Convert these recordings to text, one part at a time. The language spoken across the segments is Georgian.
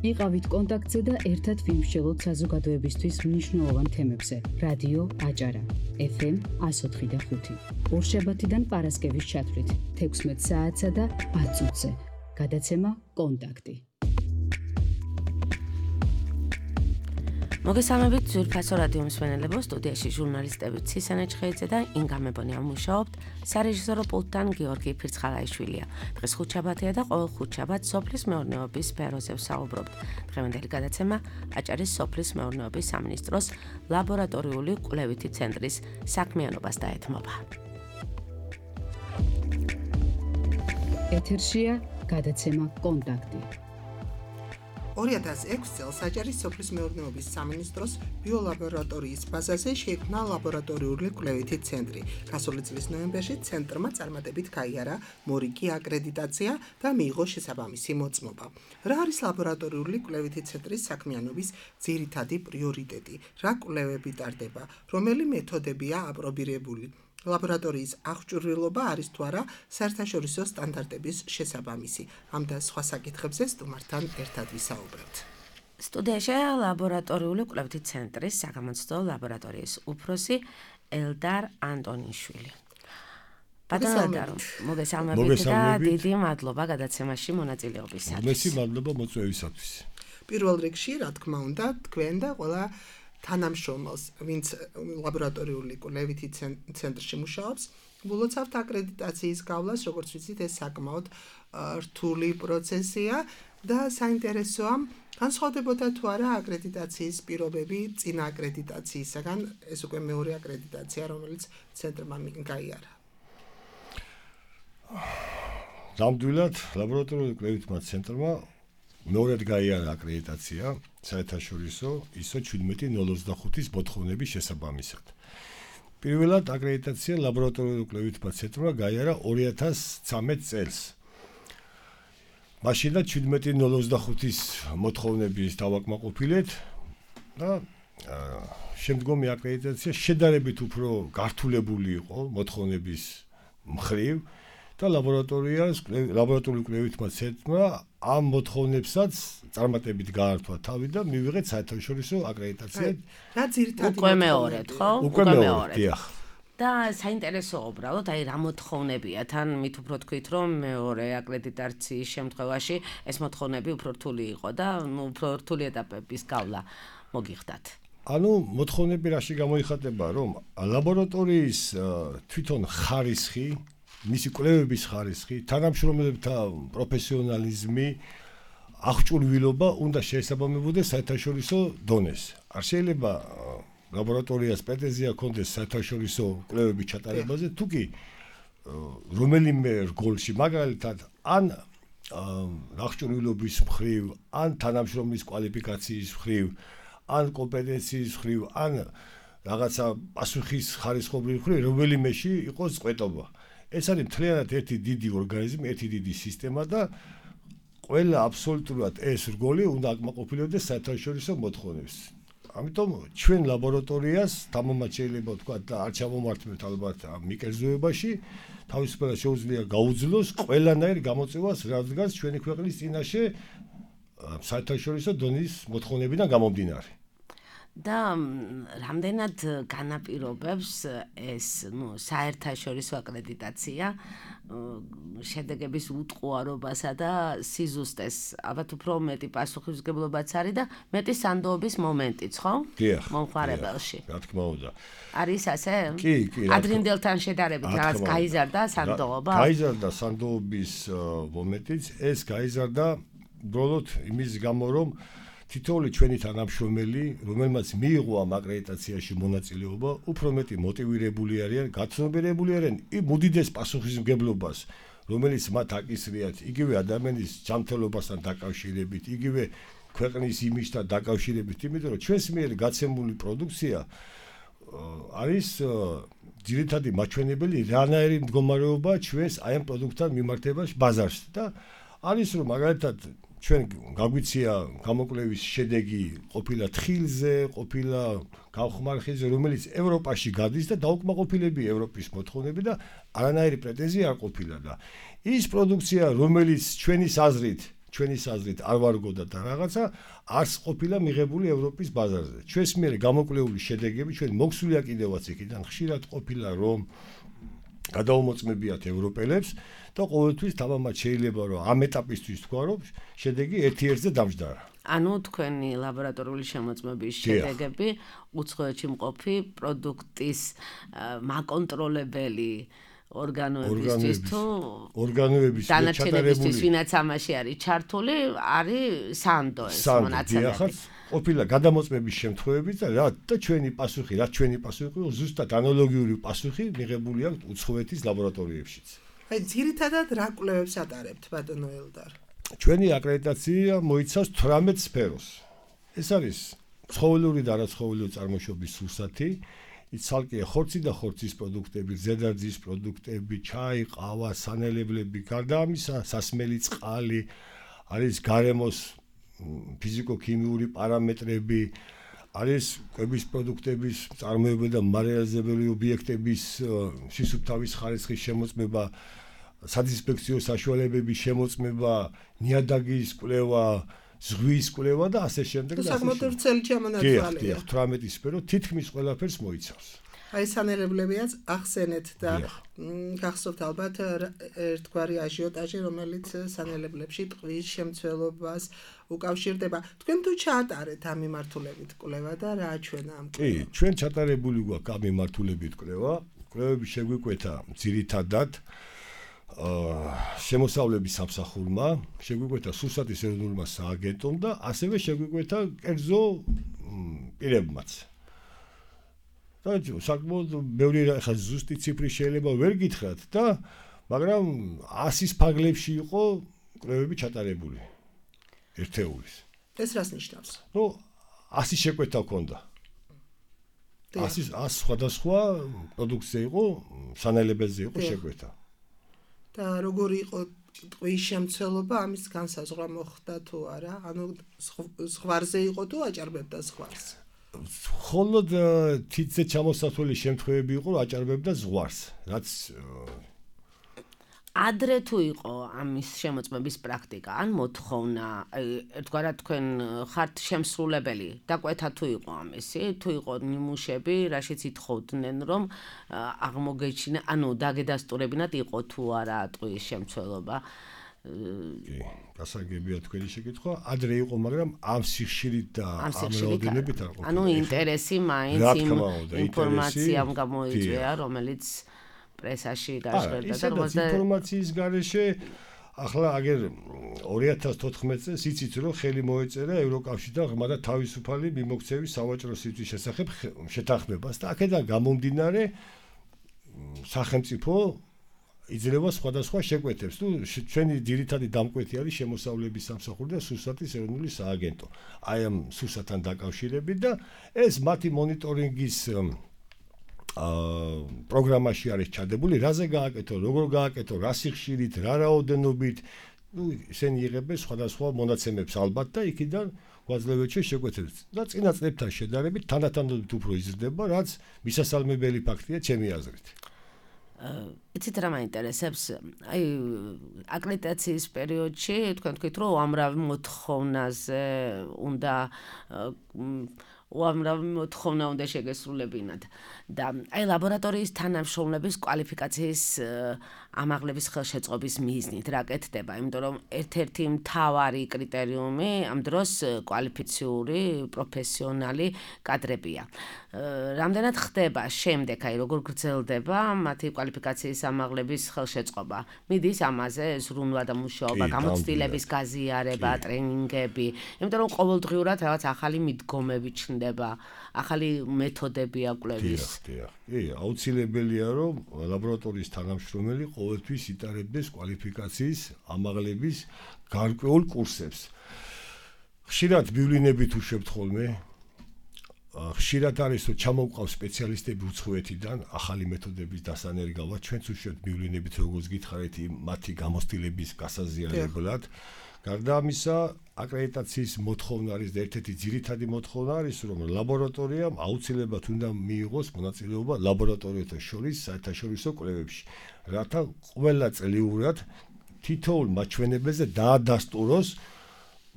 იყავით კონტაქტზე და ერთად ვიმსჯელოთ საზოგადოებისთვის მნიშვნელოვან თემებზე. რადიო აჭარა, FM 104.5. ორშაბათიდან პარასკევის ჩათვლით 16 საათსა და 10 წუთზე. გადაცემა კონტაქტი. მოგესალმებით ძვირფასო რადიო მსმენელებო, სტუდიაში ჟურნალისტები ცისანე ჩხეიძე და ინგა მებონია მუშაობთ, სარეჟისორო პულტთან გიორგი ფირცხალაიშვილია. დღეს ხუთშაბათია და ყოველ ხუთშაბათს სოფლის მეურნეობის სფეროზე ვსაუბრობთ. დღევანდელი გადაცემა აჭარის სოფლის მეურნეობის სამინისტროს ლაბორატორიული კვლევითი ცენტრის საქმიანობას დაეთმობა. ეთერშია გადაცემა კონტაქტი. 2006 წელს აჭარის სოფლის მეურნეობის სამინისტროს ბიოლაბორატორიის ბაზაზე შეიქმნა ლაბორატორიული კვლევითი ცენტრი. გასული წლის ნოემბერში ცენტრმა წარმატებით გაიარა მორიგი აკრედიტაცია და მიიღო შესაბამისი მოწმობა. რა არის ლაბორატორიული კვლევითი ცენტრის საქმიანობის ძირითადი პრიორიტეტი? რა კვლევები ტარდება? რომელი მეთოდებია აპრობირებული? ლაბორატორიის აღჭურვილობა არის თუ არა საერთაშორისო სტანდარტების შესაბამისი? ამ და სხვა საკითხებზე სტუმართან ერთად ვისაუბრებთ. სტუდიაში ლაბორატორიული კვლევითი ცენტრის საგამოცდო ლაბორატორიის უფროსი ელდარ ანტონიშვილი. მოგესალმებით და დიდი მადლობა გადაცემაში მონაწილეობისათვის. მოგესალმებით, მადლობა მოწვევისათვის. პირველ რიგში, რა თქმა უნდა, თქვენ და ყველა თანამშრომელს, ვინც ლაბორატორიული კვლევითი ცენტრში მუშაობს, ვლოცავთ აკრედიტაციის გავლას, როგორც ვიცით, ეს საკმაოდ რთული პროცესია და საინტერესოა, განსხვავდებოდა თუ არა აკრედიტაციის პირობები წინა აკრედიტაციისაგან, ეს უკვე მეორე აკრედიტაცია, რომელიც ცენტრმა გაიარა. ნამდვილად, ლაბორატორიული კვლევითმა ცენტრმა მეორედ გაიარა აკრედიტაცია საერთაშორისო ISO 17025-ის მოთხოვნების შესაბამისად. პირველად აკრედიტაცია ლაბორატორიული კვლევითმა ცენტრმა გაიარა 2013 წელს. მაშინაც 17025-ის მოთხოვნების დავაკმაყოფილეთ და შემდგომი აკრედიტაცია შედარებით უფრო გართულებული იყო მოთხოვნების მხრივ და ლაბორატორიული კვლევითმა ცენტრმა ამ მოთხოვნებსაც წარმატებით გაართვა თავი და მივიღეთ საერთაშორისო აკრედიტაცია. რა ძირითადად უკვე მეორედ, ხო? უკვე მეორე, დიახ. და საინტერესო უბრალოდ, აი რა მოთხოვნებია, თან მით უფრო თქვით, რომ მეორე აკრედიტაციის შემთხვევაში ეს მოთხოვნები უფრო რთული იყო და უფრო რთული ეტაპების გავლა მოგიხდათ. ანუ მოთხოვნები რაში გამოიხატება, რომ ლაბორატორიის თვითონ ხარისხი, მისი კვლევების ხარისხი, თანამშრომელებთა პროფესიონალიზმი, აღჭურვილობა უნდა შეესაბამებოდეს საერთაშორისო დონეს. არ შეიძლება ლაბორატორიას პრეტენზია ჰქონდეს საერთაშორისო კვლევების ჩატარებაზე, თუკი რომელიმე რგოლში, მაგალითად, ან აღჭურვილობის მხრივ, ან თანამშრომლის კვალიფიკაციის მხრივ, ან კომპეტენციის მხრივ, ან რაღაცა პასუხის ხარისხობრივ მხრივ, რომელიმეში იყოს წყვეტობა. ეს არის მთლიანად ერთი დიდი ორგანიზმი, ერთი დიდი სისტემა და ყველა აბსოლუტურად ეს რგოლი უნდა აკმაყოფილებდეს საერთაშორისო მოთხოვნებს. ამიტომ ჩვენ ლაბორატორიას თამამად შეიძლება ვთქვა და არ ჩამომართმევთ ალბათ ამ მიკერძოებაში, თავისუფლად შეუძლია გაუძლოს ყველანაირ გამოწვევას, რადგან ჩვენი ქვეყნის წინაშე საერთაშორისო დონის მოთხოვნებიდან გამომდინარე. და რამდენად განაპირობებს ეს, საერთაშორისო აკრედიტაცია შედეგების უტყუარობასა და სიზუსტეს, ალბათ უფრო მეტი პასუხისმგებლობაც არის და მეტი სანდოობის მომენტიც, ხო? დიახ. მომხმარებელში. რა თქმა უნდა. არის ასე? კი. ადრინდელთან შედარებით რაღაც გაიზარდა სანდოობა? გაიზარდა სანდოობის მომენტიც, ეს გაიზარდა უბრალოდ იმის გამო, რომ თითოეული ჩვენი თანამშრომელი, რომელმაც მიიღო ამ აკრედიტაციაში მონაწილეობა, უფრო მეტი მოტივირებული არიან, გაცნობიერებული არიან უდიდეს პასუხისმგებლობას, რომელიც მათ აკისრიათ, იგივე ადამიანის ჯანმრთელობასთან დაკავშირებით, იგივე ქვეყნის იმიჯთან დაკავშირებით, იმიტომ რომ ჩვენს მიერ გაცემული პროდუქცია არის ძირითადი მაჩვენებელი, რანაირი მდგომარეობა ჩვენს აი ამ პროდუქტთან მიმართებაში ბაზარში და არის რომ მაგალითად ჩვენ გაგვიცია გამოკვლევის შედეგი ყოფილა თხილზე, ყოფილა გავხმარხილზე, რომელიც ევროპაში გადის და დაუკმაყოფილებია ევროპის მოთხოვნები და არანაირი პრეტენზია არ ყოფილა და ის პროდუქცია, რომელიც ჩვენის აზრით ჩვენი საზრით არ ვარგოდა და რაღაცა არც ყოფილა მიღებული ევროპის ბაზარზე. ჩვენს მიერ გამოკვლეული შედეგები ჩვენ მოგვსულია კიდევაც იქიდან ხშირად ყოფილა რომ გადაუმოწმებიათ ევროპელებს და ყოველთვის თამამად შეიძლება რომ ამ ეტაპისთვის თქვა რომ შედეგი ერთ-ერთზე დამჯდარა. ანუ თქვენი ლაბორატორიული შემოწმების შედეგები უცხოეთში მყოფი პროდუქტის მაკონტროლებელი ორგანოებისთვის თუ ორგანოების დანარჩენებისთვის ვინაც ამაში არის ჩართული არის სანდო ეს მონაცემები ყოფილა გადამოწმების შემთხვევები და ჩვენი პასუხი ზუსტად ანალოგიური პასუხი მიღებული აქვს უცხოეთის ლაბორატორიებშიც. აი ძირითადად რა კვლევებს ატარებთ ბატონო ელდარ? ჩვენი აკრედიტაცია მოიცავს 18 სფეროს. ეს არის ცხოველური და არაცხოველური წარმოშობის სურსათი, ცალკე ხორცი და ხორცის პროდუქტები, ზედარძის პროდუქტები, ჩაი, ყავა, სანელებლები, გარდა ამისა, სასმელი წყალი, არის გარემოს ფიზიკო-ქიმიური პარამეტრები, არის კვების პროდუქტების წარმოება და მარიალიზებელი ობიექტების სისუფთავის ხარისხის შემოწმება, სადისინფექციო საშუალებების შემოწმება, ნიადაგის კვლევა, ზღვის კვლევა და ასე შემდეგ და ასე საკმაოდ ვრცელი ჩამონაცვალია. 18 სფერო თითქმის ყველაფერს მოიცავს. აი სანელებლებიაც ახსენეთ და გახსოვთ ალბათ ერთგვარი აჟიოტაჟი, რომელიც სანელებლებში ტყვის შემცველობას უკავშირდება. თქვენ თუ ჩაატარეთ ამ მიმართულებით კვლევა და რა ჩვენა ამ კვლევა? კი, ჩვენ ჩატარებული გვაქვს ამ მიმართულებით კვლევა. კვლევები შეგვიკვეთა ძირითადად შემოსავლების სამსახურმა, შეგვიკვეთა სურსათის ეროვნულმა სააგენტომ და ასევე შეგვიკვეთა კერძო პირებმაც. და საკმაოდ ბევრი ხა ზუსტი ციფრი შეიძლება ვერ გითხრათ და მაგრამ 100-ის ფარგლებში იყო კვლევები ჩატარებული ერთეულის. ეს რას ნიშნავს? 100 შეკვეთა ჰქონდა. 100 სხვადასხვა პროდუქცია იყო, სანელებელზე იყო შეკვეთა. და როგორი იყო ტყვის შემცველობა, ამის განსაზღვრა მოხდა თუ არა? ანუ ზღვარზე იყო თუ აჭარბებდა ზღვარს? მხოლოდ თითზე ჩამოსასვლელი შემთხვევები იყო, რომ აჭარბებდა ზღვარს, რაც ადრე თუ იყო ამის შემოწმების პრაქტიკა, ან მოთხოვნა, ერთგვარად თქვენ ხართ შემსრულებელი, დაკვეთა თუ იყო ამისი, თუ იყო ნიმუშები, რაშიც ითხოვდნენ, რომ აღმოგეჩინა, ანუ დაგედასტურებინათ იყო თუ არა ტყვის შემცველობა. კი, გასაგებია თქვენი შეკითხვა. ადრე იყო, მაგრამ ამ სიხშირით და ამ რაოდენობით არ ყოფილა. ანუ ინტერესი მაინც იმ ინფორმაციამ გამოიწვია, რომელიც პრესაში გაჟღერდა და რომელზეც ინფორმაციის გარეშე ახლა აგერ 2014 წელს იცით რომ ხელი მოეწერა ევროკავშირთან ღრმა და თავისუფალი მიმოქცევის სავაჭრო სივრცის შესახებ შეთანხმებას და აქედან გამომდინარე სახელმწიფო იძლევა სხვადასხვა შეკვეთებს. ჩვენი ძირითადი დამკვეთი არის შემოსავლების სამსახური და სურსათის ეროვნული სააგენტო. აი ამ სურსათთან დაკავშირებით და ეს მათი მონიტორინგის პროგრამაში არის ჩადებული, რაზე გააკეთო, როგორ გააკეთო, რა სიხშირით, რა რაოდენობით, ისინი იღებენ სხვადასხვა მონაცემებს ალბათ და იქიდან გვაძლევთ შეკვეთებს. და წინა წლებთან შედარებით თანდათანობით უფრო იზრდება, რაც მისასალმებელი ფაქტია ჩემი აზრით. იცით რა მაინტერესებს? აი აკრედიტაციის პერიოდში თქვენ თქვით, რომ უამრავი მოთხოვნაზე უნდა უამრავი მოთხოვნა უნდა შეგესრულებინათ და აი ლაბორატორიის თანამშრომლების კვალიფიკაციის ამაღლების ხელშეწყობის მიზნით რა კეთდება, იმიტომ რომ ერთ-ერთი მთავარი კრიტერიუმი ამ დროს კვალიფიციური პროფესიონალი კადრებია. რამდენად ხდება შემდეგ, აი როგორ გრძელდება მათი კვალიფიკაციის ამაღლების ხელშეწყობა? მიდის ამაზე ზრუნვა და მუშაობა, გამოცდილების გაზიარება, ტრენინგები, იმიტომ რომ ყოველდღიურად რაღაც ახალი მიდგომები ჩნდება, ახალი მეთოდებია კვლევის. კი, აუცილებელია რომ ლაბორატორიის თანამშრომელი ყოველთვის იტარებდეს კვალიფიკაციის ამაღლების გარკვეულ კურსებს. ხშირად ბივლინებით უშვებთ ხოლმე. ხშირად არის რომ ჩამოვყავს სპეციალისტები უცხოეთიდან ახალი მეთოდების დასანერგავად, ჩვენც უშვებთ ბივლინებით როგორც გითხარით მათი გამოცდილების გასაზიარებლად. გარდა ამისა, აკრედიტაციის მოთხოვნა არის და ერთ-ერთი ძირითადი მოთხოვნა არის, რომ ლაბორატორიამ აუცილებლად უნდა მიიღოს მონაწილეობა ლაბორატორიათა შორის საერთაშორისო კვლევებში, რათა ყველა წლიურად თითოეულ მაჩვენებელზე დაადასტუროს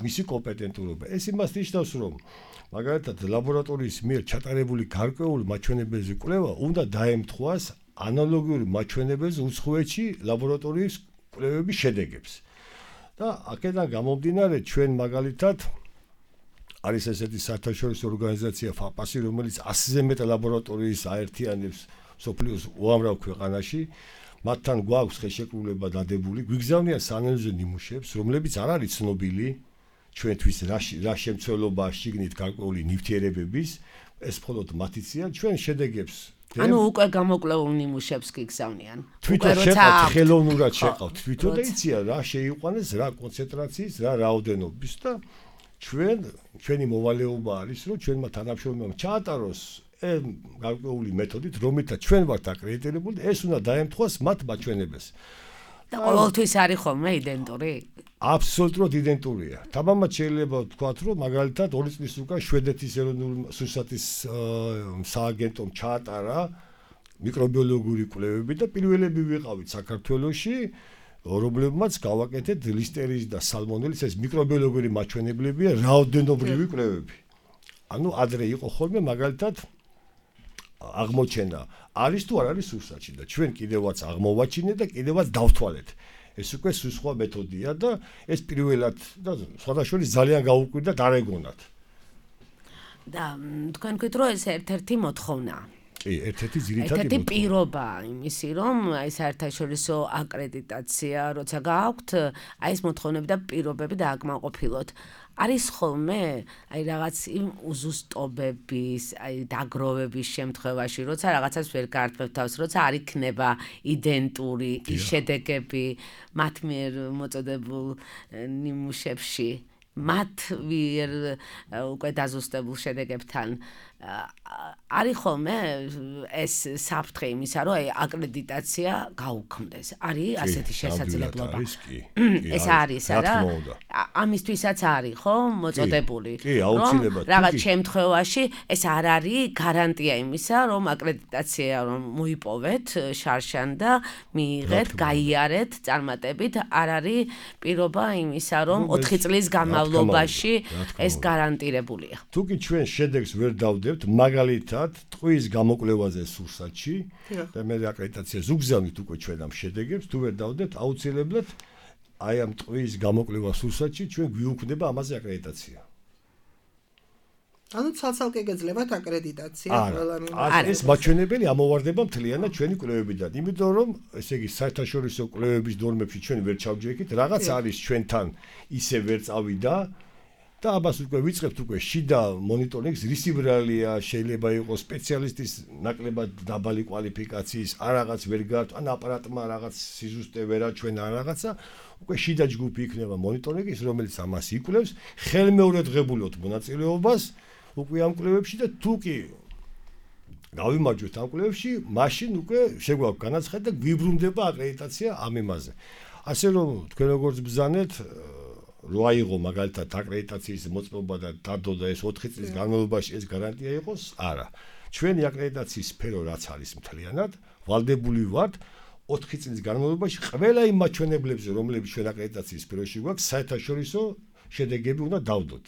მისი კომპეტენტურობა. ეს იმას ნიშნავს, რომ მაგალითად ლაბორატორიის მიერ ჩატარებული გარკვეული მაჩვენებელზე კვლევა უნდა დაემთხვას ანალოგიური მაჩვენებელზე უცხოეთში ლაბორატორიის კვლევების შედეგებს. და აქედან გამომდინარე ჩვენ მაგალითად არის ესეთი საერთაშორისო ორგანიზაცია FAPAS, რომელიც 100-ზე მეტ ლაბორატორიის აერთიანებს მსოფლიოს უამრავ ქვეყანაში. მათთან გვაქვს ხელშეკრულება დადებული, გვიგზავნიან საანალიზო ნიმუშებს, რომლებიც არ არის ცნობილი ჩვენთვის რა შემცველობა შიგნით გარკვეული ნივთიერებების, ეს მხოლოდ მათიციან ჩვენ შედეგებს. ანუ უკვე გამოკვლეულ ნიმუშებს გიგზავნიან. თვითონ შეყავთ ხელოვნურად შეყავთ თვითონ და იციან რა შეიყვანეს, რა კონცენტრაციის, რა რაოდენობის და ჩვენი მოვალეობა არის, რომ ჩვენმა თანამშრომლებმა ჩაატაროს გარკვეული მეთოდით, რომელთა ჩვენ ვართ აკრედიტირებული, ეს უნდა დაემთხვას მათ მაჩვენებელს. და ყოველთვის არის ხოლმე იდენტური? აბსოლუტურად იდენტურია. თამამად შეიძლება ვთქვათ, რომ მაგალითად 2 წლის უკან შვედეთის ეროვნული სურსათის სააგენტომ ჩაატარა მიკრობიოლოგიური კვლევები და პირველები ვიყავით საქართველოში, რომლებმაც გავაკეთეთ ლისტერიის და სალმონელის ეს მიკრობიოლოგიური მაჩვენებლებია, რაოდენობრივი კვლევები. ანუ ადრე იყო ხოლმე მაგალითად აღმოჩენა არის თუ არ არის სურსათში და ჩვენ კიდევაც აღმოვაჩინეთ და კიდევაც დავთვალეთ. ეს უკვე სხვა მეთოდია და ეს პირველად და სხვადასხვა ძალიან გაუკვირდა დარეგონად. და თქვენ გქვით რომ ეს ერთ-ერთი მოთხოვნაა. კი, ერთ-ერთი ძირითადი ერთ-ერთი პირობა იმისი, რომ აი საერთაშორისო აკრედიტაცია როცა გააქვთ, აი ეს მოთხოვნები და პირობები დააკმაყოფილოთ. არის ხოლმე აი რაღაც იმ უზუსტობების, აი დაგროვების შემთხვევაში, როცა რაღაცას ვერ გაართმევთ თავს, როცა არ იქნება იდენტური ის შედეგები მათ მიერ მოწოდებულ ნიმუშებში, მათ მიერ უკვე დაზუსტებულ შედეგებთან არის ხოლმე ეს საფრთხე იმისა, რომ აი აკრედიტაცია გაუქმდეს. არის ასეთი შესაძლებლობა? ეს არის, არა? ამისთვისაც არის, ხო, მოწოდებული. კი, აუცილებლად. რაღაც შემთხვევაში ეს არ არის გარანტია იმისა, რომ აკრედიტაცია რომ მოიპოვეთ შარშან და მიიღეთ, გაიარეთ წარმატებით, არ არის პირობა იმისა, რომ 4 წლის განმავლობაში ეს გარანტირებულია. თუკი ჩვენ შედეგს ვერ დავდებთ, მაგალითად, ტყვის გამოკვლევაზე სურსათში და მე აკრედიტაციას უგზავნით უკვე ჩვენ ამ შედეგებს, თუ ვერ დავდებთ, აუცილებლად აი ამ ტყვის გამოკვლევა სურსათში ჩვენ გვიუქმდება ამაზე აკრედიტაცია. ანუ ცალ-ცალკე გეძლებათ აკრედიტაცია ყველამ. ეს მაჩვენებელი ამოვარდება მთლიანად ჩვენი კვლევებიდან, იმიტომ რომ ესე იგი საერთაშორისო კვლევების ნორმებში ჩვენ ვერ ჩავჯექით, რაღაც არის ჩვენთან ისე ვერ წავიდა და ამას უკვე ვიწყებთ უკვე შიდა მონიტორინგს, რისიბრალია, შეიძლება იყოს სპეციალისტის ნაკლებად დაბალი კვალიფიკაციის, არ რაღაც ვერ გაართ, ან აპარატმა რაღაც სიზუსტე ვერ აჩვენა რაღაცა, უკვე შიდა ჯგუფი იქნება მონიტორინგის, რომელიც ამას იკვლევს, ხელმეურვებოდ მონაწილეობას უკვე ამ კვლევებში და თუ კი გავიმარჯვეთ ამ კვლევებში, მაშინ უკვე შეგვაქვს განაცხადი და გვიბრუნდება აკრედიტაცია ამ იმაზე. ასე რომ თქვენ როგორც ბრძანეთ რო აიღო მაგალითად აკრედიტაციის მოწმობა და დადო და ეს 4 წლის განმავლობაში ეს გარანტია იყოს, არა. ჩვენი აკრედიტაციის სფერო რაც არის მთლიანად, ვალდებული ვართ 4 წლის განმავლობაში ყველა იმ მაჩვენებლებზე, რომლებიც ჩვენ აკრედიტაციის სფეროში გვაქვს, საერთაშორისო შედეგები უნდა დავდოთ.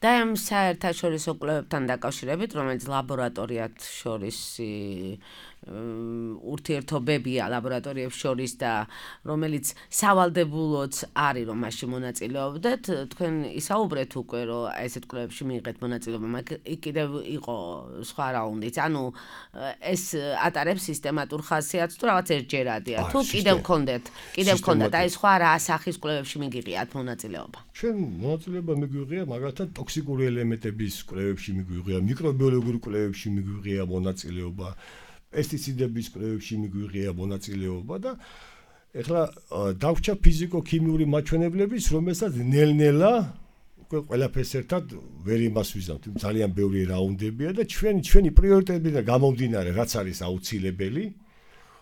და ამ საერთაშორისო კვლევებთან დაკავშირებით, რომელიც ლაბორატორიათ შორის ურთიერთობებია ლაბორატორიებს შორის და რომელიც სავალდებულოც არის რომ მაშინ მონაწილეობდეთ, თქვენ ისაუბრეთ უკვე რომ ესეთ კვლევებში მიიღეთ მონაწილეობა, მაგრამ კიდევ იყო სხვა რაუნდიც. ანუ ეს ატარებს სისტემატურ ხასიათს თუ რაღაც ერთჯერადია. თუ კიდევ გქონდათ აი სხვა რა სახის კვლევებში მიგიღიათ მონაწილეობა? ჩვენ მონაწილეობა მიგვიღია მაგალითად ტოქსიკური ელემენტების კვლევებში მიგვიღია, მიკრობიოლოგიურ კვლევებში მიგვიღია მონაწილეობა. პესტიციდების კვლევებში მიგვიღია მონაწილეობა და ეხლა დავრჩა ფიზიკო-ქიმიური მაჩვენებლების, რომელსაც ნელ-ნელა უკვე ყველაფერს ერთად ვერ იმას ვიზამთ. ძალიან ბევრი რაუნდებია და ჩვენი პრიორიტეტებიდან გამომდინარე, რაც არის აუცილებელი,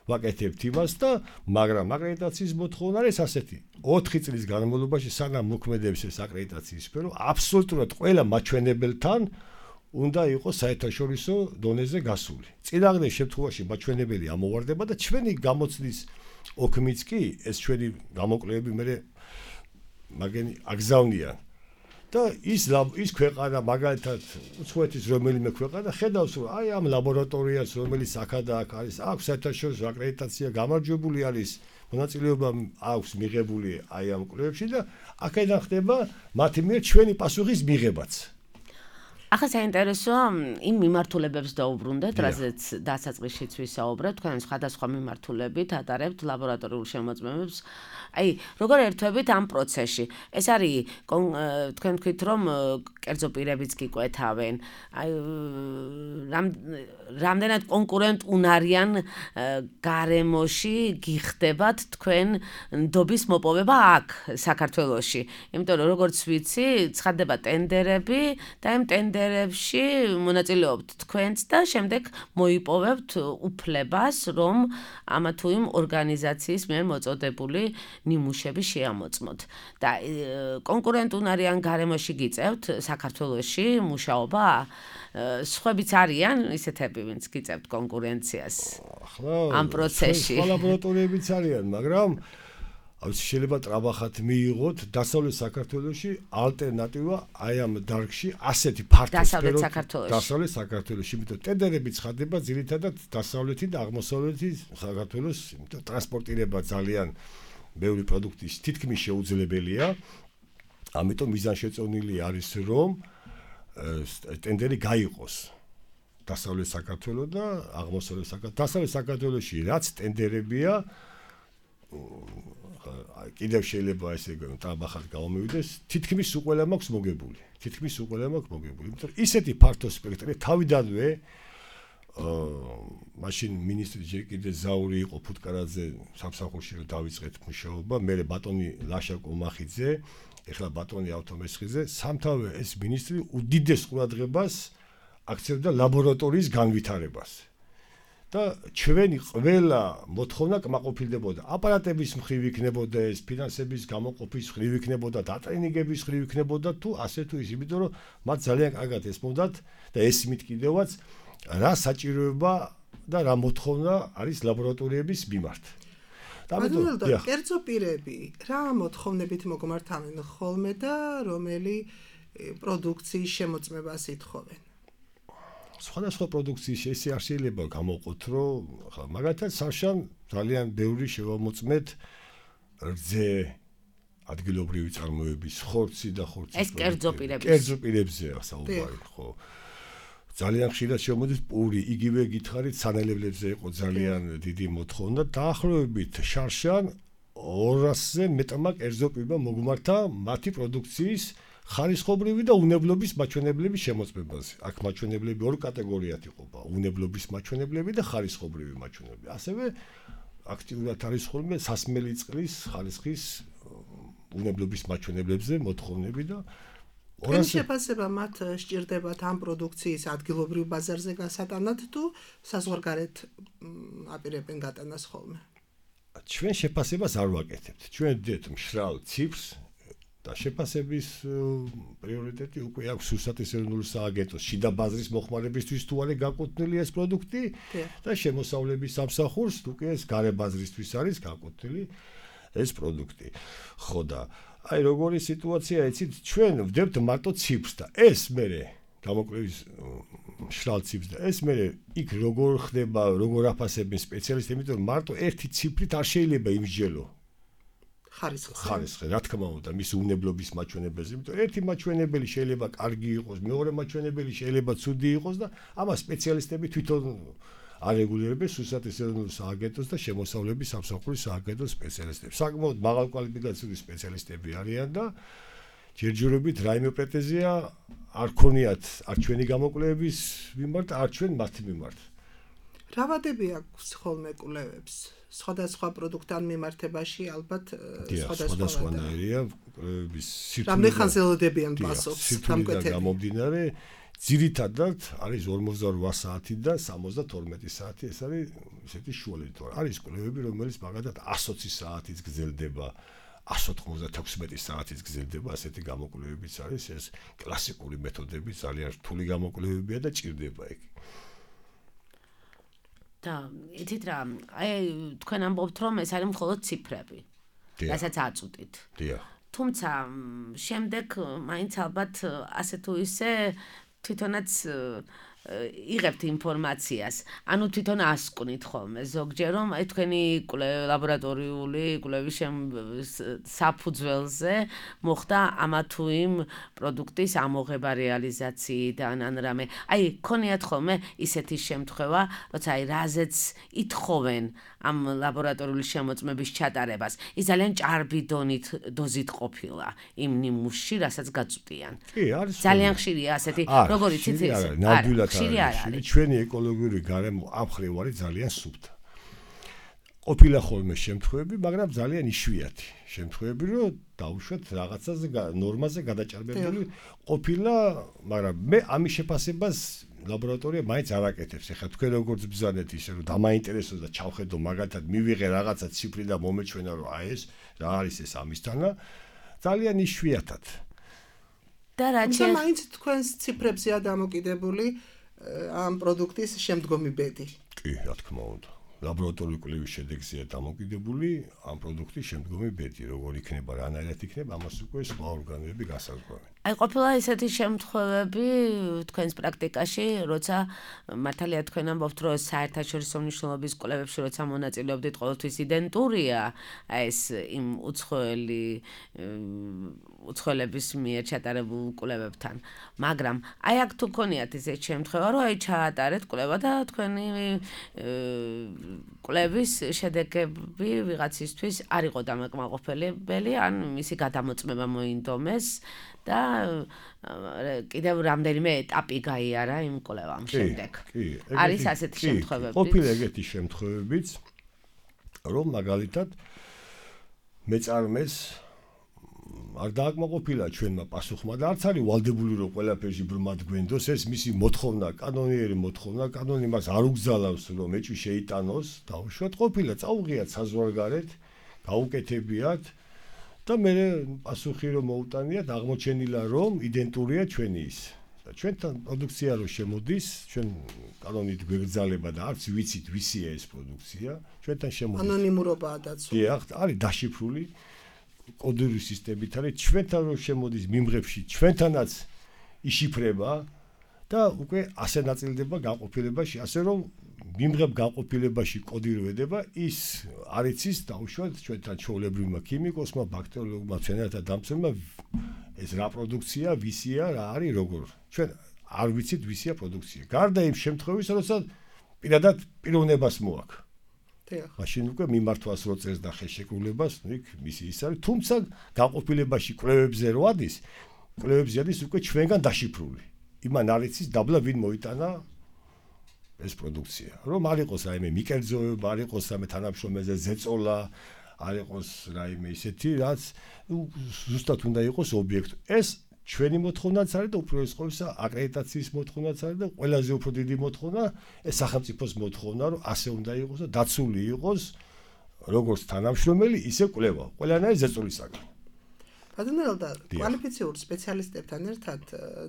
ვაკეთებთ იმას და მაგრამ აკრედიტაციის მოთხოვნა არის ასეთი. 4 წლის განმავლობაში სანამ მოქმედებს ეს აკრედიტაციის სფერო, აბსოლუტურად ყველა მაჩვენებელთან უნდა იყოს საერთაშორისო დონეზე გასული. წინააღმდეგ შემთხვევაში მაჩვენებელი ამოვარდება და ჩვენი გამოცდის ოქმიც კი ეს ჩვენი გამოკვლევები მე მაგენი აგზავნიან და ის ქვეყანა მაგალითად უცხოეთის რომელიმე ქვეყანა ხედავს რომ აი ამ ლაბორატორიას რომელიც აქ არის აქვს საერთაშორისო აკრედიტაცია გამარჯვებული არის მონაწილეობა აქვს მიღებული აი ამ კვლევებში და აქედან ხდება მათი მიერ ჩვენი პასუხის მიღებაც ახლა საინტერესოა იმ მიმართულებებს დაუბრუნდეთ, რაზეც დასაწყისშიც ვისაუბრეთ, თქვენ სხვადასხვა მიმართულებით ატარებთ ლაბორატორიულ შემოწმებებს. აი, როგორ ერთვებით ამ პროცესში? ეს არის თქვენ თქვით, რომ კერძო პირებიც გიკვეთავენ. აი, რამდენად კონკურენტუნარიან გარემოში გიხდებათ თქვენ ნდობის მოპოვება აქ, საქართველოში. იმიტომ რომ როგორც ვიცი, ცხადდება ტენდერები და იმ ტენდერებში მონაწილეობთ თქვენც და შემდეგ მოიპოვებთ უფლებას, რომ ამა თუ იმ ორგანიზაციის მიერ მოწოდებული ნიმუშები შეამოწმოთ. და კონკურენტუნარიან გარემოში გიწევთ საქართველოში მუშაობა? სხვებიც არიან ისეთები, ვინც გიწევთ კონკურენციას ამ პროცესში. სხვა ლაბორატორიებიც არიან, მაგრამ შეიძლება ტრაბახად მიიღოთ დასავლეთ საქართველოში ალტერნატივა აი ამ დარგში ასეთი ფართო დასავლეთ საქართველოში, იმიტომ ტენდერები ცხადდება ძირითადად დასავლეთი და აღმოსავლეთი საქართველოს, იმიტომ ტრანსპორტირება ძალიან ბევრი პროდუქტის თითქმის შეუძლებელია. ამიტომ მიზანშეწონილი არის რომ ტენდერი გაიყოს დასავლეთ საქართველოს და აღმოსავლეთ საქართველოს. დასავლეთ საქართველოში რაც ტენდერებია კიდევ შეიძლება ესე ტრაბახად გამომივიდეს, თითქმის უყველა მაქვს მოგებული. იმიტომ ისეთი ფართო სპექტრი თავიდანვე მაშინ მინისტრი ჯერ კიდევ ზაური იყო ფუტკარაძე სამსახურში რომ დავიწყეთ მუშაობა, მე ბატონი ლაშა კომახიძე, ეხლა ბატონი ავთომესხიძე, სამთავე ეს მინისტრი უდიდეს ყურადღებას აქცევდა ლაბორატორიის განვითარებას. და ჩვენი ყველა მოთხოვნა კმაყოფილდებოდა. აპარატების მხრივ იქნებოდა ეს, ფინანსების გამოყოფის მხრივ იქნებოდა, დატრენინგების მხრივ იქნებოდა თუ ასე თუ ის, იმიტომ რომ მათ ძალიან კარგად ესმოდათ და ესმით კიდევაც რა საჭიროება და რა მოთხოვნა არის ლაბორატორიების მიმართ. ამიტომ კერძო პირები რა მოთხოვნებით მოგმართავენ ხოლმე და რომელი პროდუქციის შემოწმებას ითხოვენ? სხვადასხვა პროდუქციის ესე არ შეიძლება გამოვყოთ, რომ მაგალითად საშან ძალიან ბევრი შევამოწმეთ რძე ადგილობრივი წარმოების ხორცი და ხორცის ეს კერძო პირებზეა საუბარი, ხო. ძალიან ხშირად შემოდის პური, იგივე გითხარით სანელებლებზე იყო ძალიან დიდი მოთხოვნა, დაახლოებით შარშან 200-ზე მეტმა კერძო პირმა მოგმართა მათი პროდუქციის ხარისხობრივი და უნებლობის მაჩვენებლების შემოწმებაზე. აქ მაჩვენებლები ორ კატეგორიად იყოფა: უნებლობის მაჩვენებლები და ხარისხობრივი მაჩვენებლები. ასევე აქტიურად არის ხოლმე სასმელი წყლის ხარისხის უნებლობის მაჩვენებლებზე მოთხოვნები და ეს შეფასება მათ სჭირდებათ ამ პროდუქციის ადგილობრივ ბაზარზე გასატანად თუ საზღვარგარეთ აპირებენ გატანას ხოლმე? ჩვენ შეფასებას არ ვაკეთებთ. ჩვენ ვდეთ მშრალ ციფრს და შეფასების პრიორიტეტი უკვე აქვს რუსეთის ეროვნული სააგენტოს შიდა ბაზრის მოხმარებისთვის თუ არის გაკუთვნილი ეს პროდუქტი და შემოსავლების სამსახურს უკვე ეს გარე ბაზრისთვის არის გაკუთვნილი ეს პროდუქტი. ხო და აი როგორი სიტუაცია იცით, ჩვენ ვდებთ მარტო ციფრს და ეს მერე გამოკვლევის მშრალ ციფრს და ეს მერე იქ როგორ ხდება, როგორ აფასებენ სპეციალისტები, იმიტომ რომ მარტო ერთი ციფრით არ შეიძლება იმსჯელო ხარისხი, რა თქმა უნდა, მის უნებლობის მაჩვენებელზე, იმიტომ ერთი მაჩვენებელი შეიძლება კარგი იყოს, მეორე მაჩვენებელი შეიძლება ცუდი იყოს და ამას სპეციალისტები თვითონ არეგულირებენ რუსეთის ეროვნულ სააგენტოს და შემოსავლების სამსახურის სააგენტოს სპეციალისტები. საკმაოდ მაღალკვალიფიკაციური სპეციალისტები არიან და ჯერჯერობით რაიმე პრეტენზია არ ქონიათ არ ჩვენი გამოკვლევების მიმართ, არ ჩვენ მათი მიმართ. რა ვადები აქვს ხოლმე კვლევებს? სხვადასხვა პროდუქტთან მიმართებაში ალბათ სხვადასხვანაირია კვლევების სირთულე. რამდენი ხანს ელოდებიან პასუხს სამკვეთლად გამომდინარე ძირითადად არის 48 საათი და 72 საათი, ეს არის ისეთი შუალედი. არის კვლევები, რომელიც მაგალითად 120 საათიც გრძელდება, 196 საათიც გრძელდება, ასეთი გამოკვლევებიც არის, ეს კლასიკური მეთოდები, ძალიან რთული გამოკვლევებია და ჭირდება ეგ. და იცით რა, აი თქვენ ამბობთ რომ ეს არის მხოლოდ ციფრები. რასაც აწვდით. დიახ. თუმცა შემდეგ მაინც ალბათ ასე თუ ისე თვითონაც იღებთ ინფორმაციას. ანუ თვითონ ასკვნით ხოლმე ზოგჯერ რომ აი თქვენი ლაბორატორიული კვლევის საფუძველზე მოხდა ამა თუ იმ პროდუქტის ამოღება რეალიზაციიდან ან რამე. აი ქონიათ ხოლმე ისეთი შემთხვევა, როცა აი რაზეც ითხოვენ ამ ლაბორატორიული შემოწმების ჩატარებას. ის ძალიან ჭარბი დოზით ყოფილა იმ ნიმუშში, რასაც გაწვდიან. კი, არის. ძალიან ხშირია ასეთი, როგორ იცით ეს? ნამდვილად ხშირი არ არის. ჩვენი ეკოლოგიური გარემო ამ ხრივ არის ძალიან სუფთა. ყოფილა ხოლმე შემთხვევები, მაგრამ ძალიან იშვიათი შემთხვევები, რომ დაუშვათ რაღაცაზე ნორმაზე გადაჭარბებული ყოფილა, მაგრამ მე ამის შეფასებას ლაბორატორია მაინც არ აკეთებს. ეხლა თქვენ როგორც ბრძანეთ ისე რომ დამაინტერესოს და ჩავხედო მაგათად მივიღე რაღაცა ციფრი და მომეჩვენა რომ აი ეს რა არის ეს ამისთანა ძალიან იშვიათად. და რაჩე მაინც თქვენს ციფრებზეა დამოკიდებული ამ პროდუქტის შემდგომი ბედი. კი, რა თქმა უნდა. ლაბორატორიული კვლევის შედეგზეა დამოკიდებული ამ პროდუქტის შემდგომი ბედი, როგორ იქნება, რანაირად იქნება, ამას უკვე სხვა ორგანოები გასაზღვრავენ. აი ყოფილა ესეთი შემთხვევები თქვენს პრაქტიკაში, როცა მართალია თქვენ ამბობთ, რომ საერთაშორისო მნიშვნელობის კვლევებში როცა მონაწილეობდით, ყოველთვის იდენტურია ეს იმ უცხოელების მიერ ჩატარებულ კვლევებთან. მაგრამ აი აქ თუ ქონიათ ესეთი შემთხვევა, რომ აი ჩაატარეთ კვლევა და თქვენი კვლევის შედეგები ვიღაცისთვის არ იყო დამაკმაყოფილებელი, ან მისი გადამოწმება მოინდომეს და კიდევ რამდენიმე ეტაპი გაიარა იმ კვლევამ შემდეგ. არის ასეთი შემთხვევები. ყოფილა ეგეთი შემთხვევებიც, რომ მაგალითად მეწარმეს არ დააკმაყოფილა ჩვენმა პასუხმა და არც არის ვალდებული რომ ყველაფერში ბრმად გვენდოს, ეს მისი მოთხოვნა, კანონიერი მოთხოვნა, კანონი მას არ უგზალავს რომ ეჭვი შეიტანოს, დაუშვათ ყოფილა, წაუღიათ საზღვარგარეთ, გაუკეთებიათ და მე პასუხი რომ მოუტანიათ, აღმოჩენილა რომ იდენტურია ჩვენი ის. და ჩვენთან პროდუქცია რო შემოდის, ჩვენ კანონით გვეგზალება და არც ვიცით ვისია ეს პროდუქცია, ჩვენთან შემოდის. ანონიმურობაა დაცული. დიახ, არის დაშიფრული კოდური სისტემით არის ჩვენთან რო შემოდის მიმღებში, ჩვენთანაც იშიფრება და უკვე ასე ნაწილდება გაყოფილებაში, ასე რომ მიმღებ გაყოფილებაში კოდი რო ედება, ის არ იცის დაუშვათ ჩვენთან ჩვეულებრივმა ქიმიკოსმა, ბაქტერიოლოგმა, მცენარეთა დამცველმა ეს რა პროდუქცია, ვისია, რა არის, როგორ. ჩვენ არ ვიცით ვისია პროდუქცია. გარდა იმ შემთხვევისა, როცა პირადად პიროვნებას მოაქვს. მაშინ უკვე მიმართვას რო წერს და ხელშეკრულებას, იქ მისი ის არის, თუმცა გაყოფილებაში კვლევებზე რო ადის, კვლევებზე ადის უკვე ჩვენგან დაშიფრული. იმან არ იცის დაბლა ვინ მოიტანა ეს პროდუქცია. რომ არ იყოს რაიმე მიკერძოება, არ იყოს რამე თანამშრომელზე ზეწოლა, არ იყოს რაიმე ისეთი, რაც ზუსტად უნდა იყოს ობიექტი. ეს ჩვენი მოთხოვნაც არის და უპირველეს ყოვლისა აკრედიტაციის მოთხოვნაც არის და ყველაზე უფრო დიდი მოთხოვნა ეს სახელმწიფოს მოთხოვნა, რომ ასე უნდა იყოს და დაცული იყოს როგორც თანამშრომელი, ისე კვლევა, ყველანაირი ზეწოლისაგან. ბატონო ელდა, კვალიფიციურ სპეციალისტებთან ერთად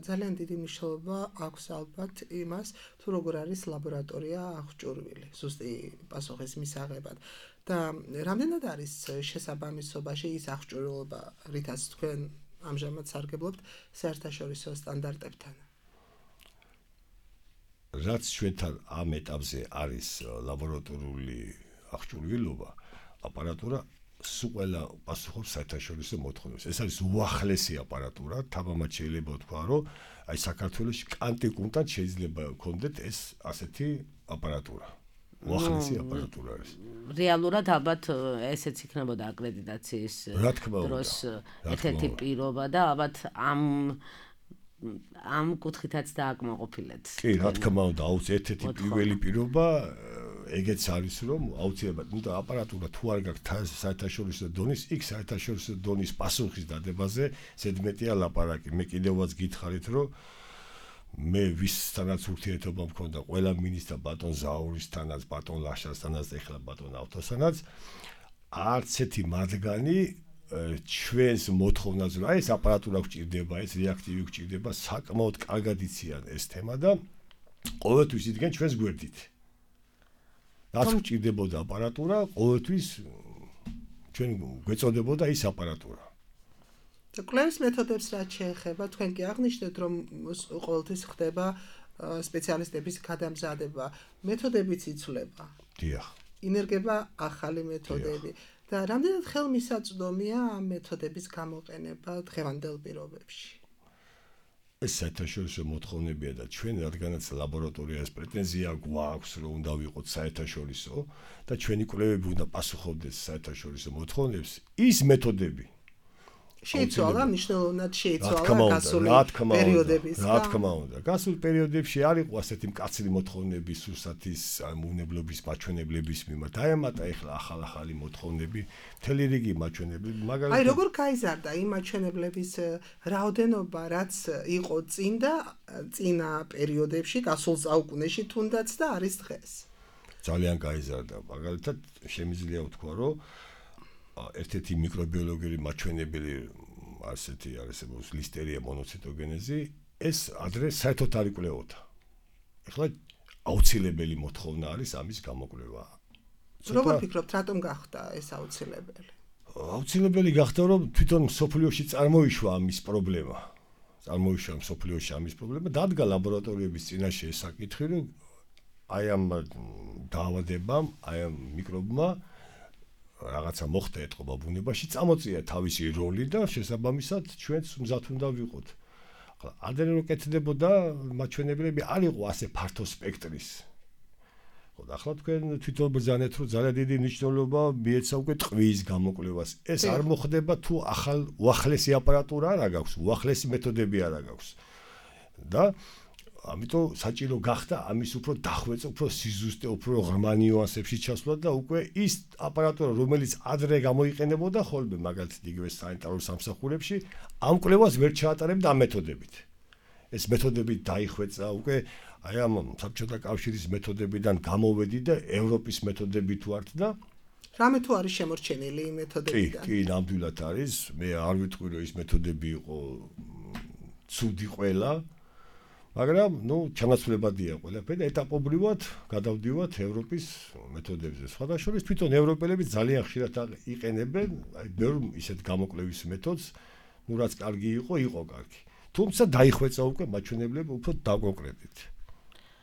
ძალიან დიდი მნიშვნელობა აქვს ალბათ იმას, თუ როგორ არის ლაბორატორია აღჭურვილი, ზუსტი პასუხის მისაღებად. და რამდენად არის შესაბამისობაში ის აღჭურვილობა, რითაც თქვენ ამჟამად სარგებლობთ საერთაშორისო სტანდარტებთან. რაც ჩვენთან ამ ეტაპზე არის ლაბორატორიული აღჭურვილობა, აპარატურა სულ ყველა პასუხობს საერთაშორისო მოთხოვნებს. ეს არის უახლესი აპარატურა, თამამად შეიძლება ვთქვა, რომ აი საქართველოში კანტიკუნტად შეიძლება გქონდეთ ეს ასეთი აპარატურა. უახლესი აპარატურა არის. რეალურად ალბათ ესეც იქნებოდა აკრედიტაციის დროს ერთ-ერთი პირობა და ალბათ ამ კუთხითაც დააკმაყოფილეთ. კი, რა თქმა უნდა, ერთ-ერთი პირველი პირობა ეგეც არის, რომ აუცილებლად, ნუ და აპარატურა თუ არ გაქვს საერთაშორისო დონის, იქ საერთაშორისო დონის პასუხის დადებაზე ზედმეტია ლაპარაკი. მე კიდევაც გითხარით, რომ მე ვისთანაც ურთიერთობა მქონდა ყველა მინისტრ ბატონ ზაურისთანაც, ბატონ ლაშასთანაც და ეხლა ბატონ ავთოსთანაც, არც ერთი მათგანი ჩვენს მოთხოვნაზე, რომ აი ეს აპარატურა გვჭირდება, ეს რეაქტივი გვჭირდება, საკმაოდ კარგად იციან ეს თემა და ყოველთვის იდგენ ჩვენს გვერდით. რაც გვჭირდებოდა აპარატურა, ყოველთვის ჩვენ გვეწოდებოდა ის აპარატურა. და კვლევის მეთოდებს რაც შეეხება, თქვენ კი აღნიშნეთ, რომ ყოველთვის ხდება სპეციალისტების გადამზადება, მეთოდებიც იცვლება. დიახ. ინერგება ახალი მეთოდები და რამდენად ხელმისაწვდომია ამ მეთოდების გამოყენება დღევანდელ პირობებში. ეს საერთაშორისო მოთხოვნებია და ჩვენ რადგანაც ლაბორატორიას პრეტენზია გვაქვს, რომ უნდა ვიყოთ საერთაშორისო და ჩვენი კვლევები უნდა პასუხობდეს საერთაშორისო მოთხოვნებს, ის მეთოდები შეიცვალა, მნიშვნელოვნად შეიცვალა გასული პერიოდების. რა თქმა უნდა. გასულ პერიოდებში არ იყო ასეთი მკაცრი მოთხოვნები სურსათის უმნებლობის მაჩვენებლების მიმართ. დაემატა ეხლა ახალ-ახალი მოთხოვნები, მთელი რიგი მაჩვენებლები, მაგალითად. აი როგორ გაიზარდა იმ მაჩვენებლების რაოდენობა, რაც იყო წინა პერიოდებში, გასულ საუკუნეში თუნდაც და არის დღეს. ძალიან გაიზარდა. მაგალითად, შემიძლია ვთქვა, რომ ერთ-ერთი მიკრობიოლოგიური მაჩვენებელი ასეთი არსებობს ლისტერია მონოციტოგენეზი, ეს ადრე საერთოდ არ იკვლევოდა. ეხლა აუცილებელი მოთხოვნა არის ამის გამოკვლევა. როგორ ფიქრობთ, რატომ გახდა ეს აუცილებელი? აუცილებელი გახდა, რომ თვითონ მსოფლიოში წარმოიშვა ამის პრობლემა. წარმოიშვა მსოფლიოში ამის პრობლემა, დადგა ლაბორატორიების წინაშე ეს საკითხი, რომ აი ამ დაავადებამ, აი ამ მიკრობმა რაღაცა მოხდა ეთყობა ბუნებაში, წამოწია თავისი როლი და შესაბამისად ჩვენც მზად უნდა ვიყოთ. ახლა ადრე რო კეთდებოდა მაჩვენებლები არ იყო ასე ფართო სპექტრის. ხო და ახლა თქვენ თვითონ ბრძანეთ, რომ ძალიან დიდი მნიშვნელობა მიეცა უკვე ტყვის გამოკვლევას. ეს არ მოხდება თუ ახალ უახლესი აპარატურა არ აქვს, უახლესი მეთოდები არ აქვს. და ამიტომ საჭირო გახდა ამის უფრო დახვეწა, უფრო სიზუსტე, უფრო ღრმა ნიუანსებში ჩასვლა და უკვე ის აპარატურა, რომელიც ადრე გამოიყენებოდა ხოლმე, მაგალითად იგივე სანიტარულ სამსახურებში, ამ კვლევას ვერ ჩაატარებდა ამ მეთოდებით. ეს მეთოდები დაიხვეწა, უკვე აი ამ საბჭოთა კავშირის მეთოდებიდან გამოვედი და ევროპის მეთოდები თუ ართ და რამე თუ არის შემორჩენილი იმ მეთოდებიდან? კი, ნამდვილად არის. მე არ ვიტყვი, რომ ის მეთოდები იყო ცუდი ყველა. მაგრამ, ჩანაცვლებადია ყველაფერი და ეტაპობრივად გადავდივართ ევროპის მეთოდებზე. სხვადასხვა თვითონ ევროპელები ძალიან ხშირად იყენებენ აი ბევრ ისეთ გამოკვლევის მეთოდს, რაც კარგი იყო კარგი. თუმცა დაიხვეწა უკვე მაჩვენებლები უფრო დაკონკრეტით.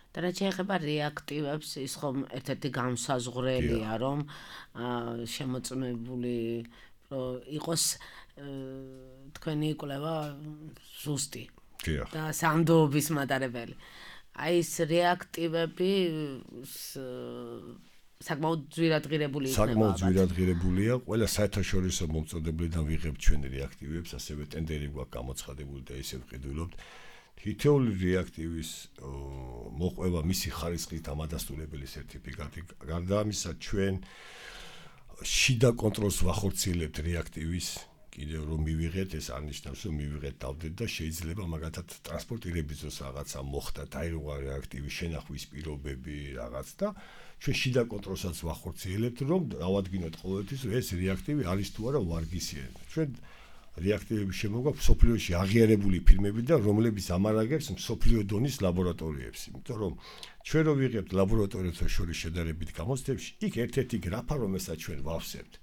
და რაც შეეხება რეაქტივებს, ის ხომ ერთ-ერთი განსაზღვრელია, რომ შემოწმებული იყოს თქვენი კვლევა ზუსტი. და სანდოობის მატარებელი. აი ეს რეაქტივები საკმაოდ ძვირადღირებული იქნება. საკმაოდ ძვირადღირებულია. ყველა საერთაშორისო მომწოდებლიდან ვიღებთ ჩვენ რეაქტივებს, ასევე ტენდერი გვაქვს გამოცხადებული და ისე ვყიდულობთ. თითოეული რეაქტივის მოყვება მისი ხარისხით ამადასტურებელი სერტიფიკატი. გარდა ამისა, ჩვენ შიდა კონტროლს ვახორციელებთ რეაქტივის. კიდევ რომ მივიღეთ, ეს არნიშნავს, რომ მივიღეთ დავდეთ და შეიძლება მაგათად ტრანსპორტირების დროს რაღაცა მოხდა, დაირღვა რეაქტივის შენახვის პირობები რაღაც და ჩვენ შიდა კონტროლსაც ვახორციელებთ, რომ დავადგინოთ ყოველთვის, რომ ეს რეაქტივი არის თუ არა ვარგისიანი. ჩვენ რეაქტივების შემოგვაქვს მსოფლიოში აღიარებული ფირმები და რომლებიც ამარაგებს მსოფლიო დონის ლაბორატორიებს. იმიტომ რომ ჩვენ რო ვიღებთ ლაბორატორიებთან შორის შედარებით გამოცდებში, იქ ერთ-ერთი გრაფა, რომელსაც ჩვენ ვავსებთ.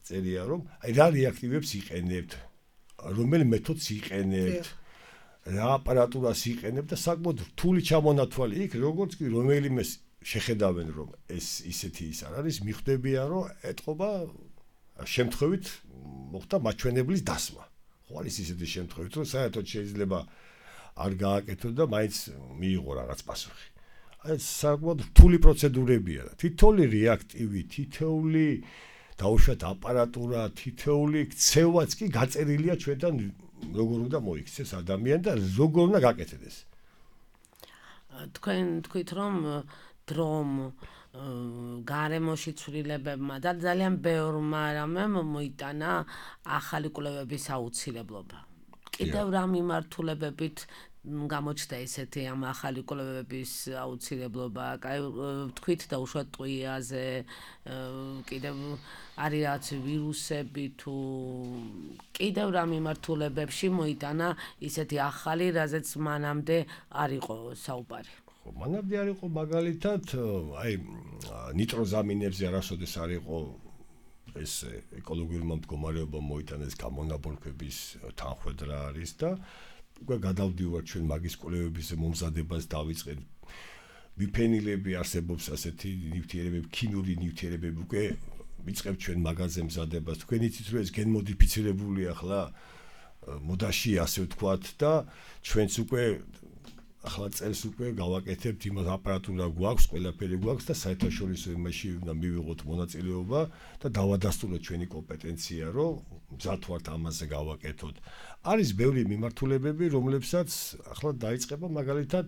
წერია რომ აი რა რეაქტივებს იყენებთ, რომელ მეთოდს იყენებთ, რა აპარატურას იყენებთ და საკმაოდ რთული ჩამონათვალი იქ, როგორც კი რომელიმე შეხედავენ, რომ ეს ისეთი ის არ არის, მიხვდებიან, რომ ეთყობა შემთხვევით მოხდა მაჩვენებლის დასმა. ხო არის ისეთი შემთხვევით, რომ საერთოდ შეიძლება არ გააკეთო და მაინც მიიღო რაღაც პასუხი. აი საკმაოდ რთული პროცედურებია და თითოეული რეაქტივი, თითოეული დაუშვათ აპარატურა, თითოეული ქცევაც კი გაწერილია ჩვენთან როგორ უნდა მოიქცეს ადამიანი და როგორ უნდა გაკეთდეს. თქვენ თქვით რომ დრომ გარემოში ცვლილებებმა და ძალიან ბევრმა რამემ მოიტანა ახალი კვლევების აუცილებლობა. კიდევ რა მიმართულებებით გამოჩნდა ესეთი ამ ახალი კვლევების აუცილებლობა? კაი თქვით და უშუალოდ ტყვიაზე, კიდევ არის რაღაც ვირუსები თუ კიდევ რა მიმართულებებში მოიტანა ისეთი ახალი, რაზეც მანამდე არ იყო საუბარი? იყო. მანამდე არ იყო მაგალითად აი ნიტროზამინებზე არასოდეს არ იყო ეს ეკოლოგიურმა მდგომარეობამ მოიტანეს გამონაბოლქვების თანხwebdriver არის და უკვე გადავდივართ ჩვენ მაგის კვლევების მომზადებას დავიწყეთ. ბიფენილები არსებობს ასეთი ნივთიერებები, ქიმიური ნივთიერებები უკვე ვიწყებთ ჩვენ მაგაზე მზადებას. თქვენ იცით რომ ეს გენმოდიფიცირებულია ახლა მოდაში ასე ვთქვათ და ჩვენც უკვე ახლა წელს უკვე გავაკეთებთ იმას აპარატურა გვაქვს, ყველაფერი გვაქვს და საერთაშორისო იმაში უნდა მივიღოთ მონაწილეობა და დავადასტუროთ ჩვენი კომპეტენცია, რომ მზად ვართ ამაზე გავაკეთოთ. არის ბევრი მიმართულებები, რომლებსაც ახლა დაიწყება მაგალითად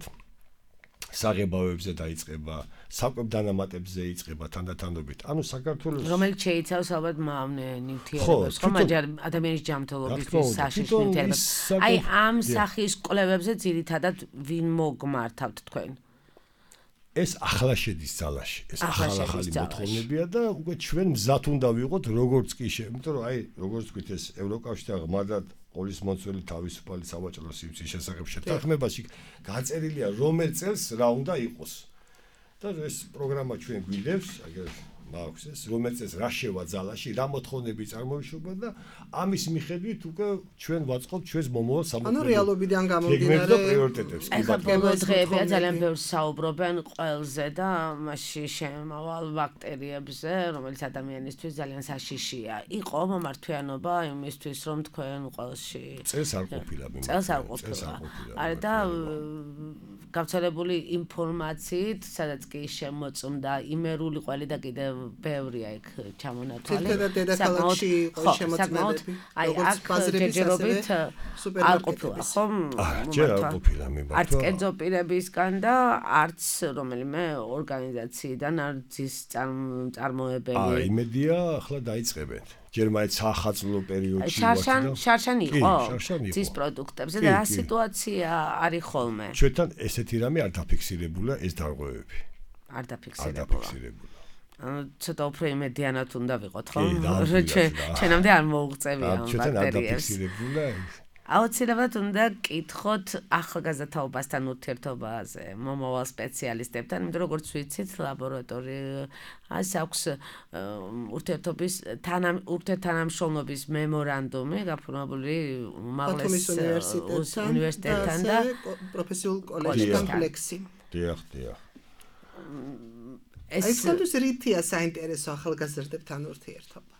საღებავებზე დაიწყება, საკვებდანამატებზე იწყება თანდათანობით. ანუ საქართველოს რომელიც შეიცავს ალბათ მავნე ნივთიერებებს, ხო, მაგრამ ადამიანის ჯანმრთელობისთვის საშიში ნივთიერებებს. აი ამ სახის კვლევებზე ძირითადად ვინ მოგმართავთ თქვენ? ეს ახლა შედის ძალაში. ეს ახალი მოთხოვნებია და უკვე ჩვენ მზად უნდა ვიყოთ როგორც კი იმიტომ რომ აი როგორც ვთქვით ეს ევროკავშირი ღმადად ყოლის მოწველი თავისუფალი სავაჭრო სივრცის შესახებ შეთანხმებაში გაწერილია რომელ წელს რა უნდა იყოს. და ეს პროგრამა ჩვენ გვიდევს, აგერ მაქვს ეს რომელ წელს რა შევა ძალაში, რა მოთხოვნები წარმოიშობა და ამის მიხედვით უკვე ჩვენ ვაწყობთ ჩვენს მომავალ სამოქმედო. ანუ რეალობიდან გამომდინარე პრიორიტეტებს. ეხლა დღეებია ძალიან ბევრს საუბრობენ ყველზე და მასში შემავალ ბაქტერიებზე, რომელიც ადამიანისთვის ძალიან საშიშია. იყო მომართვიანობა იმისთვის, რომ თქვენ ყველში წელს არ ყოფილა მიმართ. წელს არ ყოფილა. არა და გავრცელებული ინფორმაციით, სადაც კი შემოწმდა იმერული ყველი და კიდევ ბევრია იქ ჩამონათვალი. თითქოს დედაქალაქში იყო შემოწმებები. როგორც ბაზრებით არ ყოფილა, ხო? ჯერ არ ყოფილა მიმართ. არც კერძო პირებისგან და არც რომელიმე ორგანიზაციიდან არც ის წარმოებელი. იმედია ახლა დაიწყებენ. ჯერ მაინც ახალწლო პერიოდში შარშან იყო ძის პროდუქტებზე და რა სიტუაცია არის ხოლმე? ჩვენთან ესეთი რამე არ დაფიქსირებულა ეს დარღვევები. არ დაფიქსირებულა. ცოტა უფრო იმედიანად უნდა ვიყოთ, ხო? ჩვენამდე არ მოუღწევია ამ ბაქტერიებს. აუცილებლად უნდა კითხოთ ახალგაზრდაობასთან ურთიერთობაზე, მომავალ სპეციალისტებთან, იმიტომ როგორც ვიცით, ლაბორატორიას აქვს ურთიერთთანამშრომლობის მემორანდუმი გაფორმებული უმაღლეს უნივერსიტეტთან და პროფესიულ კოლეჯთან ფლექსი. დიახ. ეს რითია საინტერესო ახალგაზრდებთან ურთიერთობა?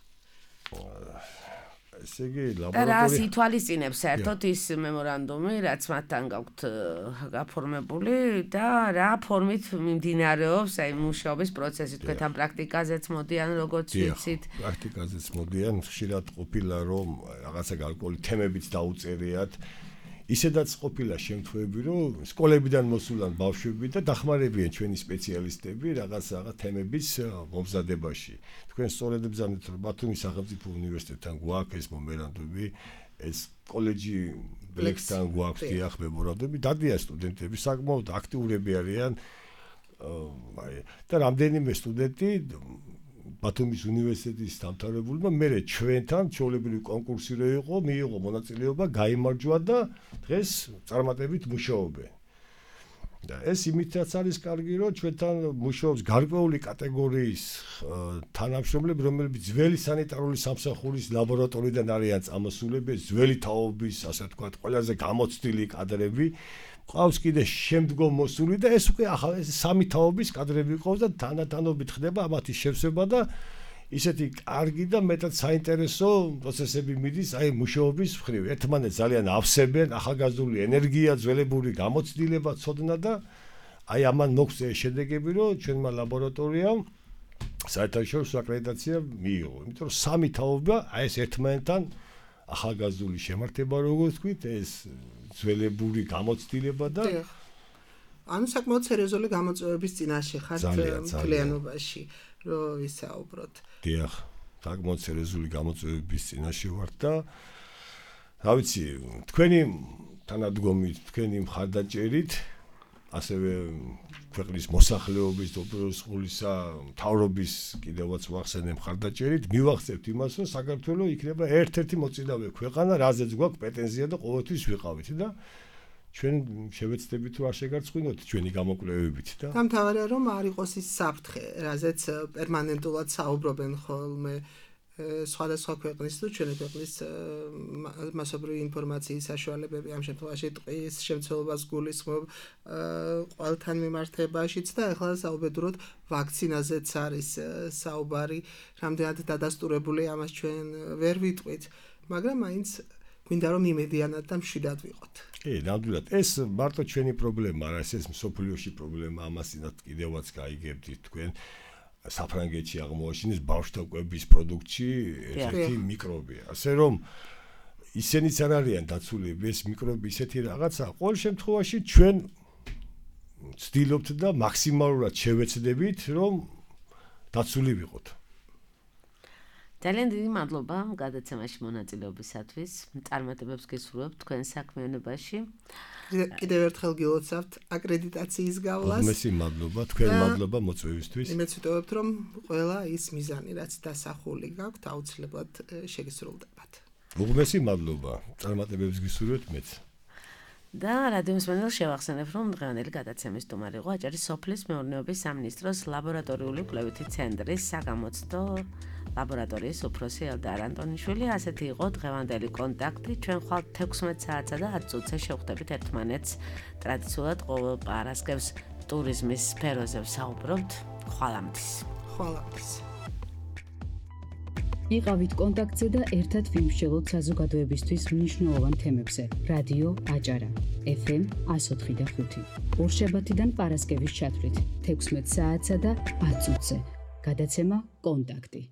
ესე იგი ლაბორატორია და ითვალისწინებს საერთოდ ის მემორანდუმი, რაც მათთან გაქვთ გაფორმებული და რა ფორმით მიმდინარეობს აი მუშაობის პროცესი. თქვენ პრაქტიკაზეც მოდიან, როგორც ვიცით. პრაქტიკაზეც მოდიან, ხშირად ყოფილა რომ რაღაცა გარკვეული თემებიც დაუწერიათ. ისედაც ყოფილა შემთხვევები, რომ სკოლებიდან მოსულან ბავშვები და დახმარებიან ჩვენი სპეციალისტები რაღაც თემების მომზადებაში. თქვენ სწორედ ბრძანეთ, რომ ბათუმის სახელმწიფო უნივერსიტეტთან გვაქვს ეს მემორანდუმი, ეს კოლეჯი ბლექსთან გვაქვს დიახ მემორანდუმი, დადიან სტუდენტები, საკმაოდ აქტიურები არიან. და რამდენიმე სტუდენტი ბათუმის უნივერსიტეტის დამთავრებულმა მერე ჩვენთან ჩვეულებრივი კონკურსი რო იყო, მიიღო მონაწილეობა, გაიმარჯვა და დღეს წარმატებით მუშაობენ. და ეს იმითაც არის კარგი, რომ ჩვენთან მუშაობს გარკვეული კატეგორიის თანამშრომლები, რომლებიც ძველი სანიტარული სამსახურის ლაბორატორიიდან არიან წამოსულები, ძველი თაობის, ასე ვთქვათ, ყველაზე გამოცდილი კადრები. ყავს კიდე შემდგომ მოსული და ეს უკვე ახლა ეს სამი თაობის კადრები ყავს და თანდათანობით ხდება ამათი შევსება და ისეთი კარგი და მეტად საინტერესო პროცესები მიდის აი მუშაობის მხრივ. ერთმანეთს ძალიან ავსებენ, ახალგაზრდული ენერგია, ძველებური გამოცდილება, ცოდნა და აი ამან მოგვწე შედეგები, რომ ჩვენმა ლაბორატორიამ საერთაშორისო აკრედიტაცია მიიღო. იმიტომ რომ სამი თაობა აი ეს ერთმანეთთან ახალგაზრდული შემართება, როგორც ვთქვით, ეს ძველებური გამოცდილება და ანუ საკმაოდ სერიოზული გამოწვევების წინაშე ხართ მთლიანობაში, რომ ისაუბროთ. დიახ, საკმაოდ სერიოზული გამოწვევების წინაშე ვართ და რა ვიცი, თქვენი თანადგომით, თქვენი მხარდაჭერით, ასევე ქვეყნის მოსახლეობის დოპეროსყულისა მთავრობის კიდევაც ვახსენებ მხარდაჭერით, მივახცევთ იმას, რომ საქართველოს იქნება ერთ-ერთი მოწინავე ქვეყანა, რაზეც გვაქვს პრეტენზია და ყოველთვის ვიყავით და ჩვენ შევეცდებით თუ არ შეგარწყვინოთ ჩვენი გამოკვლევებით და დამთავრდა რომ არ იყოს ის საფრთხე, რაზეც პერმანენტულად საუბრობენ ხოლმე სხვადასხვა ქვეყნის თუ ჩვენი ქვეყნის მასობრივი ინფორმაციის საშუალებები ამ შემთხვევაში ტყის შემცველობას გულისხმობ ყველთან მიმართებაშიც და ახლა საუბედუროთ ვაქცინაზეც არის საუბარი, რამდენად დადასტურებული ამას ჩვენ ვერ ვიტყვით, მაგრამ მაინც გვინდა რომ იმედიანად და მშვიდად ვიყოთ. ნამდვილად ეს მარტო ჩვენი პრობლემა არა, ეს მსოფლიოში პრობლემა, ამასინაც კიდევაც გაიგებდით თქვენ. საფრანგეთში აღმოაჩინეს ბავშვთა კვების პროდუქტში ერთი მიკრობია. ასე რომ ისინიც არ არიან დაცული, ეს მიკრობი ისეთი რაღაცა, ყოველ შემთხვევაში ჩვენ ვცდილობთ და მაქსიმალურად შევეცდებით, რომ დაცული ვიყოთ. ძალიან დიდი მადლობა გადაცემაში მონაწილეობისათვის. წარმატებებს გისურვებთ თქვენ საქმიანობაში. კიდევ ერთხელ გილოცავთ აკრედიტაციის გავლას. მოგესალმებით, მადლობა, თქვენ მადლობა მოწვევისთვის. იმედს ვიტოვებთ, რომ ყველა ის მიზანი, რაც დასახული გაქვთ, აუცილებლად შეგისრულდებათ. მოგესალმებით, მადლობა. წარმატებებს გისურვებთ მეც. და რადიო მსმენელს შევახსენებ, რომ დღევანდელი გადაცემის სტუმარი იყო აჭარის სოფლის მეურნეობის სამინისტროს ლაბორატორიული კვლევითი ცენტრის საგამოცდო ლაბორატორიის უფროსი ელდარ ანტონიშვილი. ასეთი იყო დღევანდელი კონტაქტი. ჩვენ ხვალ 16 საათსა და 10 წუთზე შევხვდებით ერთმანეთს. ტრადიციულად ყოველ პარასკევს ტურიზმის სფეროზე ვსაუბრობთ. ხვალამდის. იყავით კონტაქტზე და ერთად ვიმსჯელოთ საზოგადოებისთვის მნიშვნელოვან თემებზე. რადიო აჭარა, FM 104.5. ორშაბათიდან პარასკევის ჩათვლით 16 საათსა და 10 წუთზე. გადაცემა კონტაქტი.